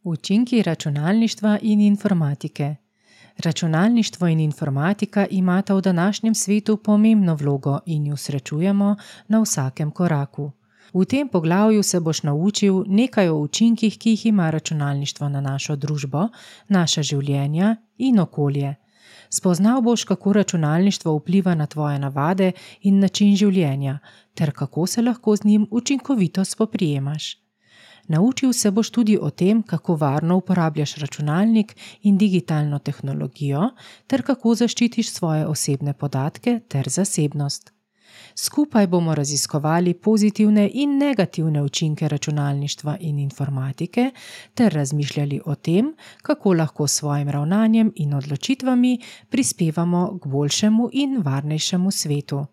Učinki računalništva in informatike. Računalništvo in informatika imata v današnjem svetu pomembno vlogo in ju srečujemo na vsakem koraku. V tem poglavju se boš naučil nekaj o učinkih, ki jih ima računalništvo na našo družbo, naša življenja in okolje. Spoznal boš, kako računalništvo vpliva na tvoje navade in način življenja, ter kako se lahko z njim učinkovito spoprijemaš. Naučil se boš tudi o tem, kako varno uporabljaš računalnik in digitalno tehnologijo, ter kako zaščitiš svoje osebne podatke ter zasebnost. Skupaj bomo raziskovali pozitivne in negativne učinke računalništva in informatike ter razmišljali o tem, kako lahko s svojim ravnanjem in odločitvami prispevamo k boljšemu in varnejšemu svetu.